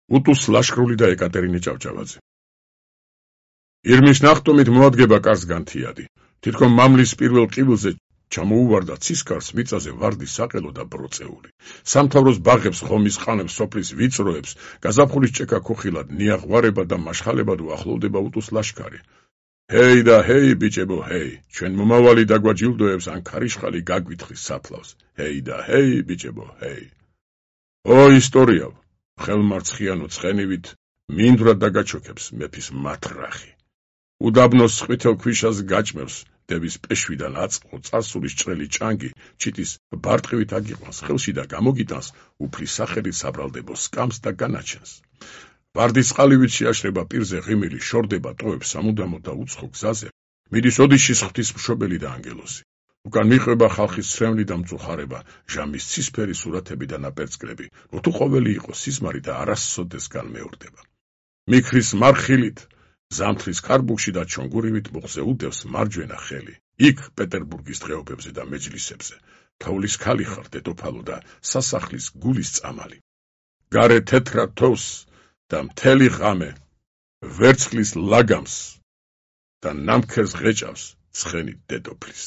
უტუს ლაშქრული და ეკატერინე ჭავჭავაძე. ირმის ნახტომით მოადგება კარს განთიადი. თითქოს მამლის პირველ ყივილზე ჩამოუვარდა ცისკარს მიწაზე ვარდის საყელო და ბროწეული. სამთავროს ბაღებს, ხომის ყანებს, სოფლის ვიწროებს, გაზაფხულის ჭექა ქუხილად, ნიაღვარება და მაშხალებად უახლოვდება უტუს ლაშქარი. ჰეი და ჰეი, ბიჭებო, ჰეი, ჩვენ მომავალი დაგვაჯილდოებს ან ქარიშხალი გაგვითხრის საფლავს. ჰეი და ჰეი, ბიჭებო, ჰეი. ო ისტორიავ, ხელმარცხიანო ცხენივით მინდვრად დაგაჩოქებს მეფის მათრახი. უდაბნოს ყვითელ ქვიშას გაჭმევს, დების პეშვიდან აწყო წარსულის ჭრელი ჭანგი, ჩიტის ბარტყივით აგიყვანს ხელში და გამოგიტანს უფლის სახელით საბრალდებო სკამს და განაჩენს. ვარდის წყალივით შეაშრება პირზე ღიმილი, შორდება ტოვებს სამუდამო და უცხო გზაზე, მიდის ოდიშის ღვთისმშობელი და ანგელოზი. უკან მიყვება ხალხის სრემლი და მწუხარება, ჟამის ცისფერი სურათები და ნაპერწკლები, თუ ყოველი იყო სიზმარი და არასოდეს განმეორდება. მიქრის მარხილით, ზამთრის ქარბუქში და ჩონგურივით მუხზე უდევს მარჯვენა ხელი. იქ პეტერბურგის დღეობებზე და მეჯლისებზე, თოვლის ქალი ხარ დედოფალო და სასახლის გულის წამალი. გარე თეთრად თოვს და მთელი ღამე ვერცხლის ლაგამს და ნამქერს ღეჭავს ცხენით დედოფლის.